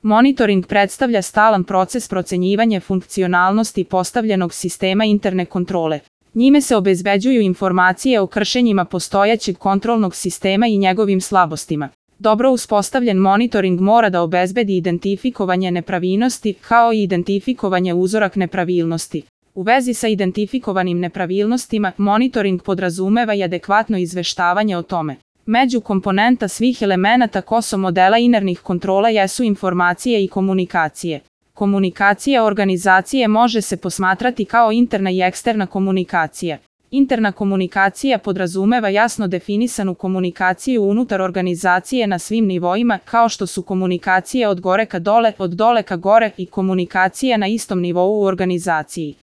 Monitoring predstavlja stalan proces procenjivanja funkcionalnosti postavljenog sistema interne kontrole. Njime se obezbeđuju informacije o kršenjima postojećeg kontrolnog sistema i njegovim slabostima. Dobro uspostavljen monitoring mora da obezbedi identifikovanje nepravilnosti kao i identifikovanje uzorak nepravilnosti. U vezi sa identifikovanim nepravilnostima, monitoring podrazumeva i adekvatno izveštavanje o tome. Među komponenta svih elemenata KOSO modela internih kontrola jesu informacije i komunikacije. Komunikacija organizacije može se posmatrati kao interna i eksterna komunikacija. Interna komunikacija podrazumeva jasno definisanu komunikaciju unutar organizacije na svim nivoima, kao što su komunikacije od gore ka dole, od dole ka gore i komunikacija na istom nivou u organizaciji.